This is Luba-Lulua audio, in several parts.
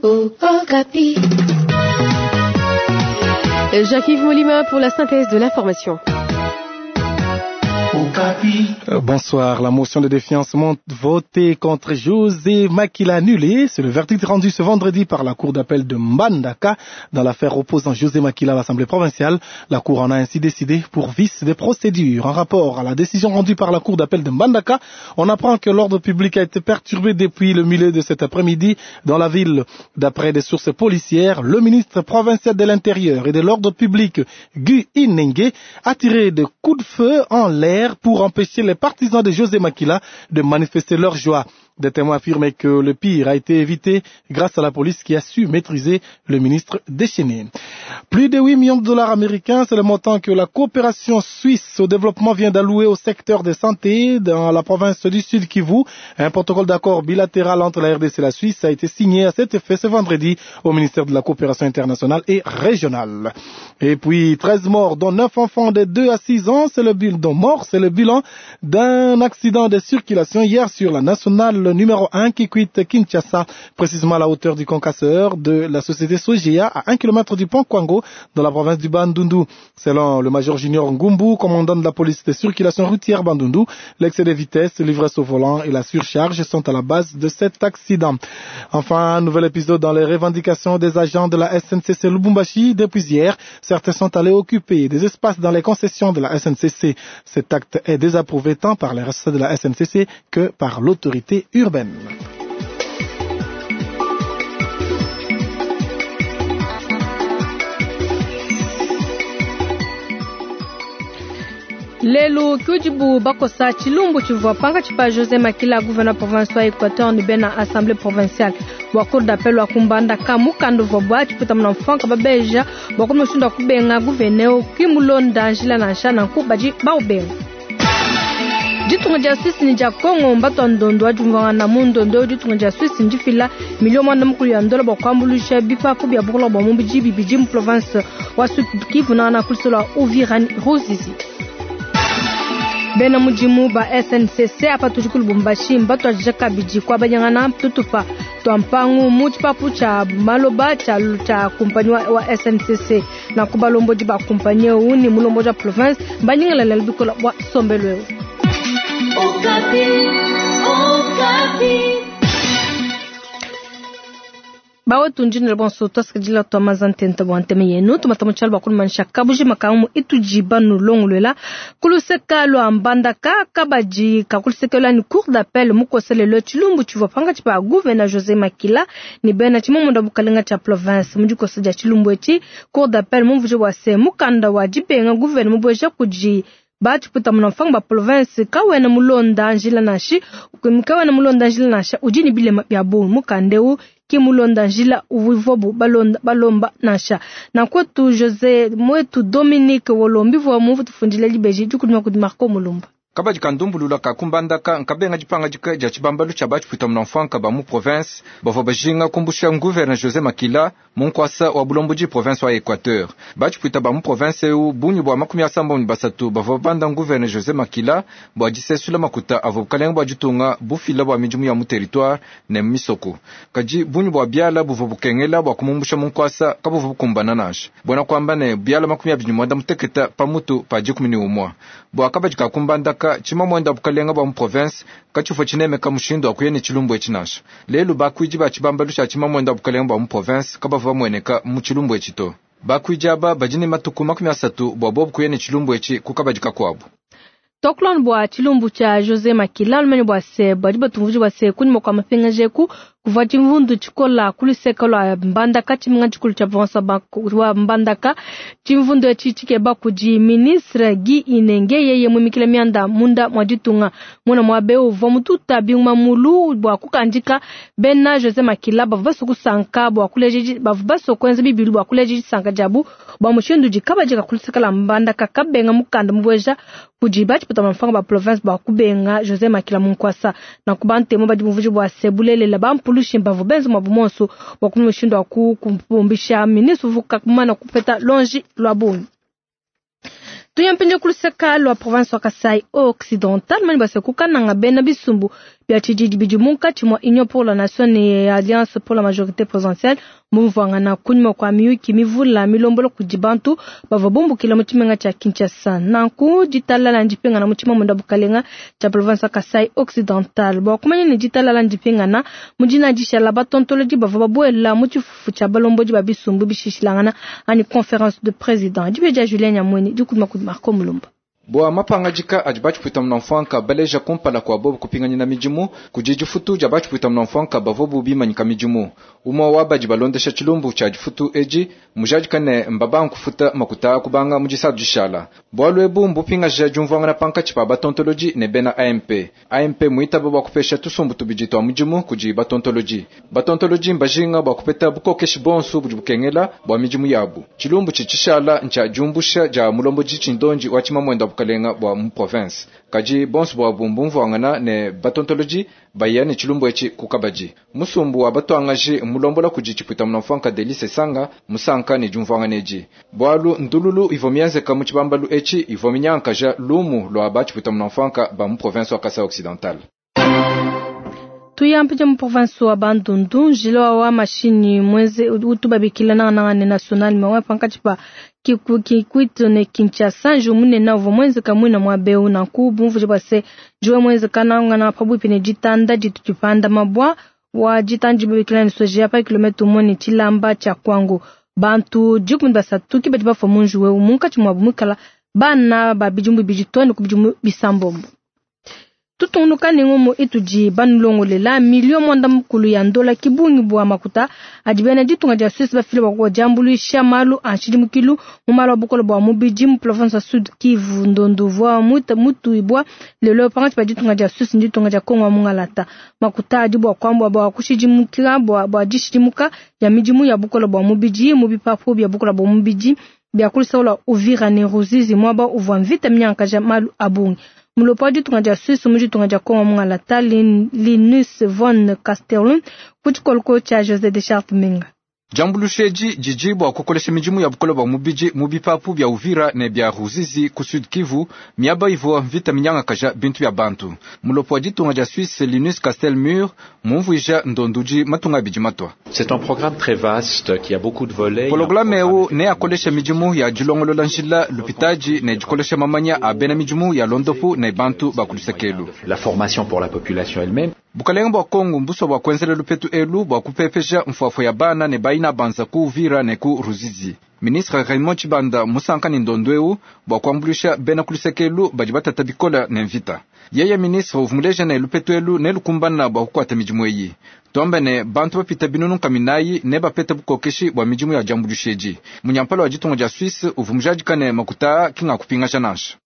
Okapi. Jacques-Yves Molima pour la synthèse de l'information. Bonsoir. La motion de défiance votée contre José Makila annulée. C'est le verdict rendu ce vendredi par la cour d'appel de Mbandaka dans l'affaire opposant José Makila à l'Assemblée provinciale. La cour en a ainsi décidé pour vice des procédures. En rapport à la décision rendue par la cour d'appel de Mbandaka, on apprend que l'ordre public a été perturbé depuis le milieu de cet après-midi dans la ville. D'après des sources policières, le ministre provincial de l'Intérieur et de l'ordre public, Guy Inenge, a tiré des coups de feu en l'air pour empêcher les partisans de José Makila de manifester leur joie. Des témoins affirmaient que le pire a été évité grâce à la police qui a su maîtriser le ministre déchaîné. Plus de 8 millions de dollars américains, c'est le montant que la coopération suisse au développement vient d'allouer au secteur de santé dans la province du Sud Kivu. Un protocole d'accord bilatéral entre la RDC et la Suisse a été signé à cet effet ce vendredi au ministère de la coopération internationale et régionale. Et puis 13 morts, dont 9 enfants de 2 à 6 ans, c'est le bilan, dont morts, c'est le bilan d'un accident de circulation hier sur la nationale numéro 1 qui quitte Kinshasa, précisément à la hauteur du concasseur de la société Sogea à 1 km du pont Kwango dans la province du Bandundu. Selon le major junior Ngumbu, commandant de la police de circulation routière Bandundu, l'excès de vitesse, l'ivresse au volant et la surcharge sont à la base de cet accident. Enfin, un nouvel épisode dans les revendications des agents de la SNCC Lubumbashi. Depuis hier, certains sont allés occuper des espaces dans les concessions de la SNCC. Cet acte est désapprouvé tant par les responsables de la SNCC que par l'autorité urbaine. Lelu kujibu bakosa tshilumbu tshivua pankatshi pa José Makila gouverneur province wa Équateur ne bena assemblée provinciale bua cour d'appel wa kumbandaka mukanda uvua bua tshiputa muna mfanka babeja bua kumushindu wa kubenga gouverneur kimulonda njila nansha nanku badi baubenga. Ditunga dia Suisse ni dia Congo mbatwa ndondo wa diumvuangana mu ndondo ditunga dia Suisse ndifila milio mwanda mukulu ya ndola bua kuambuluisha bipapu bia bukola bua mubidi bibidi mu province wa Sud Kivu na na kulisolo wa Uvira Ruzizi. Bena mudimu ba SNCC apa tudi ku Lubumbashi mbatwa kabidi kwa banyangana tutupa twa mpangu mu tshipapu tshia maloba tshia tshia kumpanyi wa SNCC na kubalombodi ba kumpanyi eu ni mulombo wa province mbanyingelela bikola bua sombelo eu. Okapi, Okapi. Bawe tunjini bonso twasikidila twa mazantente bwa nteme yenu tumata mutshala bua kulumanisha kabuji makamu itujiba nulongolwela kuluseka lwa mbandaka kabadi kakuluseka lwa ni cour d'appel mukoselelo tshilumbu tshivua pankatshi pa gouverneur José Makila ni bena tshimomunda bukalenga tshia province mudikosa dia tshilumbu etshi cour d'appel mumvuja bua se mukanda wa dibenga gouverneur mubueja kudi batshiputa muna mfango ba province kawena mulonda njila nashi kawena mulonda njila nasha udi ni bilema bia bungi mukandeu ki mulonda njila uvuvobu balonda balomba nasha na kwetu José mwetu Dominique Wolombi vwa muvu tufundile libeji dikudima kudi Marco Mulumba. Kabadi kandumbulula ka kumbandaka nkabenga dipanga dika dia tshibambalu tshia batshiputa muna mfanka ba mu province bavua bajinga kumbusha gouverneur José Makila mu nkuasa wa bulombodi province wa Équateur. Batshiputa ba mu province eu bungi bua 33 bavua banda gouverneur José Makila bua disesula makuta avua bukalenga bua ditunga bufila bua midimu ya mu territoire ne mu misoko. Kadi bungi bua biala buvua bukengela bua kumumbusha mu nkuasa kabuvua bukumbana nansha. Buena kuamba ne biala 28 pamutu pa 11. Bua kabadi ka kumbandaka tshima mwenda bukalenga bua mu province katshivua tshinemeka mushindu wa kuya ne tshilumbu etshi nansha. Lelu bakuidi ba tshibambalu tshia tshima mwenda bukalenga bua mu province kabavua bamueneka mu tshilumbu etshi to. Bakuidi aba badi ne matuku 30 bua bobu kuya ne tshilumbu etshi ku kabadi kakuabu. Tokulon bua tshilumbu tshia José Makila lumene bua se badi batumvuji bua se kunyima kua mapingaja eku kuvua tshimvundu tshikola kuluseka lua Mbandaka tshimenga tshikulu tshia province wa Mbandaka. Tshimvundu etshi tshikeba kudi ministre Guy Inenge yeye mumikile mianda munda mwa ditunga muna muabe uvua mututa binguma mulu bua kukandika bena José Makila bavua basue kusanka bua kuleja bavua basue kuenza bibilu bua kuleja disanka diabu bua mushindu udi kabadi kakuluseka lua Mbandaka kabenga mukanda mubueja kudi batshiputa mfango ba province bua kubenga José Makila munkwasa na kubantemo badi muvuji bua se bulelela bampulushi mbavu benza mwabu monso bua kumushindu wa kupumbisha ministre uvuka kumana kupeta longi lwa bungi. Tuyampinje kuluseka lwa province wa Kasai Occidental mani base kukananga bena bisumbu bia tshididi bidi munkatshi mua Union pour la Nation ne Alliance pour la Majorité Présidentielle mbumvuangana kunyima kua miyuki mivula milombola kudi bantu bavua bumbukila mu tshimenga tshia Kinshasa. Nanku ditalala ndipingana mu tshimamunda bukalenga tshia province wa Kasai Occidental. Bua kumanya ne ditalala ndipingana mu dina dishala batontolodi bavua babuela mu tshifufu tshia balombodi ba bisumbu bishishilangana anyi conférence de président. Dibe dia Julien Nyamweni dikuma kudi Marco Mulumba. Bua mapangajika adi batshipwita munamfwanka baleja kumpala kua bobu kupinganyina midimu kudi difutu dia batshipwita munamfwanka bavua bimanyika midimu. Umwe wa badi balondesha tshilumbu tshia difutu edi mujadika ne mbaba nkufuta makuta kubanga mu disadu dishala. Bualu ebu mbupingaja diumvuangana pankatshi pa batontolodi ne bena AMP. AMP muitaba bua kupesha tusumbu tubidi tua mudimu kudi batontolodi. Batontolodi mbajinga bua kupeta bukokeshi bonso budi bukengela bua midimu yabu. Tshilumbu tshitshishala ntshia diumbusha dia mulombodi tshindonji wa tshimamwenda bukalenga bua mu province. Kadi bonso bua bumbumvuangana ne batontolodi baya ne tshilumbu etshi ku kabadi. Musumbu wa batwangaji mulombola kudi tshipwita munamfwanka Delice Sanga musanka ne diumvuangana edi. Bualu ndululu ivo mienzeka mu tshibambalu etshi ivo minyankaja lumu lwa batshipwita munamfwanka ba mu province wa Kasai Occidental. Tuyampe mu province wa Bandundu njila wa mashini mweze utubabikila na na national mawa pankatshi pa Kikwit ne Kinshasa nju munene uvua mwenzeka mwina mwa beu na ku bumvuji bua se njuwe mwenzeka nangana pabuipi ne ditanda ditu dipanda mabwa wa ditanda dibabikila ne soja pa kilomita umue ne tshilamba tshia Kwango. Bantu 13 ki badi bafua mu njuwe munkatshi muabu muikala bana ba bidimu bibidi too ne ku bidimu bisambombo. Tutungunuka ne ngomo itudi banulongolela milio mwanda mukulu ya ndola kibungi bua makuta adi bena ditunga dia Suisse bafile bua kudiambuluisha malu a nshidimukilu mu malu a bukole bua mubidi mu province ya Sud Kivu. Ndondo vua mutuibua lelo pankatshi pa ditunga dia Suisse ne ditunga dia Kongo wa mungalata. Makuta adi bua kuambua bua kushidimukila bua dishidimuka ya midimu ya bukole bua mubidi mu bipapu bia bukole bua mubidi bia kulisaula Uvira ne Ruzizi mwaba uvua mvita minyankaja malu a bungi. Mulopo wa ditunga dia Suisse mu ditunga dia Kongo mungalata Linus von Castellum ku tshikoloko tshia José de Charte Menga. Diambuluisha didi bua kukolesha midimu ya bukole bua mubidi mu bipapu bia Uvira ne bia Ruzizi ku Sud Kivu miaba ivua mvita minyangakaja bintu bia bantu. Mulopo wa ditunga dia Suisse Linus Castelmur mumvuija ndondudi matunga abidi matwa. C'est un programme très vaste qui a beaucoup de volets. Programme eu ne akolesha midimu ya dilongolola njila lupitaji ne dikolesha mamanya a bena midimu ya londopu ne bantu bakulisekelu. La formation pour la population elle-même. Bukalenga bua Kongo mbuso bua kuenzela lupetu elu bua kupepesha mfuafua ya bana ne baina banza ku Uvira ne ku Ruzizi. Ministre Raymond Chibanda musanka ne ndondo eu bua kuambuluisha bena kulisekelu badi batata bikola ne mvita. Yeye ministre uvumuleja ne lupetu elu ne lukumbana bua kukwata midimu eyi. Tuambe ne bantu bapita binunu kaminayi ne bapeta bukokeshi bua midimu ya diambuluisha edi. Munyampala wa ditunga dia Suisse uvumujadika ne makuta kinga kupingasha nansha.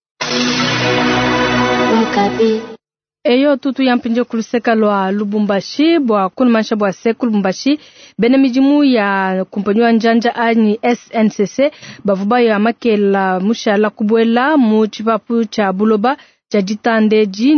Eyo tutu yampinje kuluseka lwa Lubumbashi bua kunumansha bua se Lubumbashi bena midimu ya kumpanyi wa njanja anyi SNCC bavua ya makela mushala kubuela mu tshipapu tshia buloba tshia ditandeji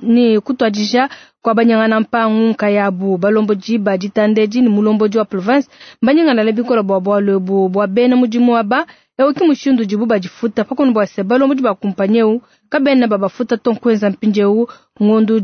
ne kutuadija kwa banyangana mpangu nkayabu balombodi ba ditandeji ni mulombodi wa province banyangana le bikola bua bualu ebu bua bena mudimu aba ewu ki mushindu dibu badifuta pakono bua se balombodi ba kumpanyi ewu kabena babafuta tonkwenza mpindiewu ngondu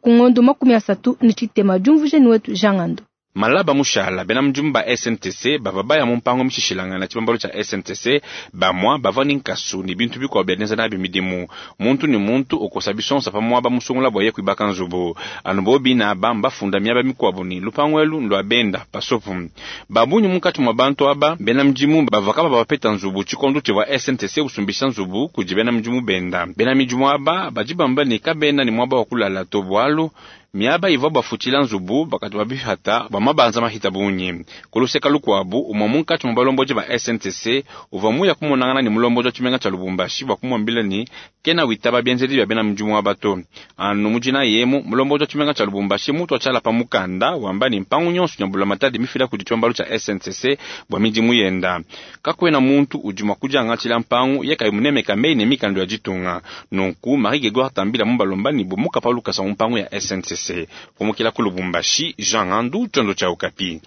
kungondu 33 diumvuje ni wetu Jangando. Malaba mushala bena mudimu ba SNTC bava baya mu mpango mishishilangana tshibambalo tshia SNTC bamwa bava ni nkasu ni bintu bikwa bia nabi midimu muntu ni muntu okosa bisonsa pamwa bamusungula bwa ye kuibaka nzubu anu bobi na bamba funda miaba mikwabo ni lupango elu lwa benda pasopu babunyu munkatshi mwa bantu aba bena mudimu bava kaba bapeta nzubu tshikondo tshivua SNTC usumbisha nzubu kudi bena mudimu benda bena midimu aba badi bamba ni kabena ni mwaba wa kulala to bwalu miaba ivua bafutila nzubu bakati babihata bamabanza mahita bunyi kuluseka lukwabu umwa munkatshi mwa balomboji ba SNTC uvua muya kumonangana ni mulomboji wa tshimenga tshia Lubumbashi bua kumwambila ni kena witaba bienzedi bia bena mudimu wa bato anu mujina yemu mulomboji wa tshimenga tshia Lubumbashi mutu atshala pa mukanda wamba ni mpangu nyonso nyambula matadi mifila kudi tshiombalo tshia SNTC bua midimu yenda kakwena muntu udi mua kudiangatshila mpangu ye kayi munemeka mei ne mikando ya ditunga nunku Marie Grégoire Tambila mubalomba ni bumuka pa lukasa mu mpangu ya SNCC kumukila ku Lubumbashi Jean Andu tshiondo tshia Okapi.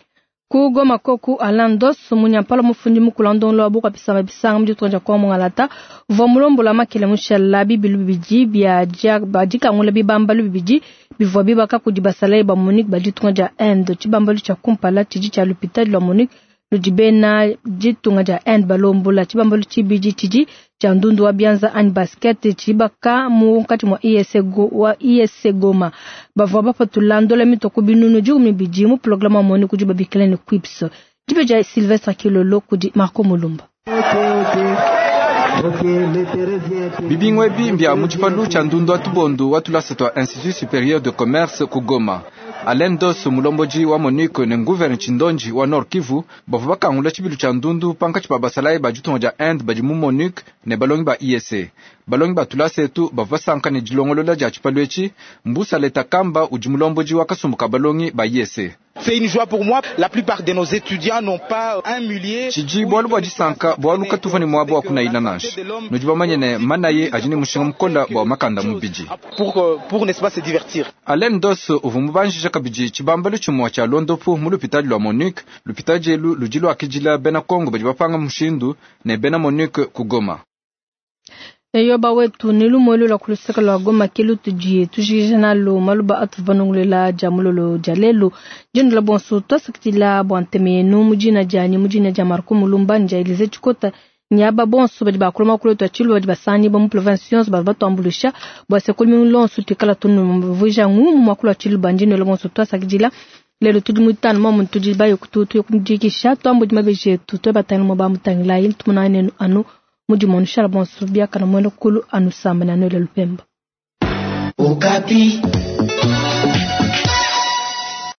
Ku Goma koku Alandos munyampala mufundi mukulu ndonlo abuka bisanga bisanga mu ditunga kwa mungalata uvua mulombola makele mushala bibilu bibidi bia badikangula bibambalu bibidi Bivua bibaka kudi basalayi ba MONUC ba ditunga dia Inde. Tshibambalu tshia kumpala tshidi tshia lupitadi lua MONUC ludi bena ditunga dia Inde balombola. Tshibambalu tshibidi tshidi tshia ndundu wa bianza anyi basket tshibaka munkatshi mua ISC Goma. Bavua bapatula ndola mitue ku binunu 12 mu programe wa MONUC udi babikila ne QUIPS. Dibe dia Sylvestre Kilolo kudi Marco Mulumba. Bibingu ebi mbia mu tshipalu tshia ndundu wa tubondu wa tulasa tua Institut Supérieur de Commerce ku Goma. Alain Dos mulombodi wa MONUC ne nguverne Tshindonji wa Nord Kivu bavua bakangula tshibilu tshia ndundu pankatshi pa basalayi ba ditunga dia Inde badi mu MONUC ne balongi ba ISC. Balongi ba tulasa etu bavua basanka ne dilongolola dia tshipalu etshi. Mbusa Leta Kamba udi mulombodi wa kasumbu ka balongi ba ISC. C'est une joie pour moi. La plupart de nos étudiants n'ont pas un millier. Tshidi bualu bua disanka bualu katuvua ne muaba wa kunayila nansha. Nudi bamanye ne manaye adi ne mushinga mukola bua makanda mubidi. Pour n'est-ce pas se divertir. Alain Dos uvua mubanjija kabidi tshibambalu tshimue tshia londopu mu lupitadi lua MONUC. Lupitadi elu ludi luakidila bena Kongo badi bapanga mushindu ne bena MONUC ku Goma. Eyoba wetu ni lumwe lwa kuluseka lwa Goma ke lutudi tujikija nalo maluba atuvua banongolela dia mulolo dia lelu. Dindula bonso twasakidila bua ntema yenu mu dina dianyi mu dina dia Marco Mulumba ne dia Elise Tshikota. Nyaba bonso badi bakula makulu etu a tshilu badi basangi ba mu province yonso badi batuambuluisha bua se kulumingu lonso tuikala tunuvuija ngumu muakulu wa tshilu bandinwela bonso twasakidila. Lelo tudi muitanu mwa muntu tudi baye kututu kudikisha twambudi mabeji etu twe batangila mwa bamutangilayi tumunane nenu anu mudi shala bonso biakana mwene kulu anu samba na nwele lupemba. Okapi.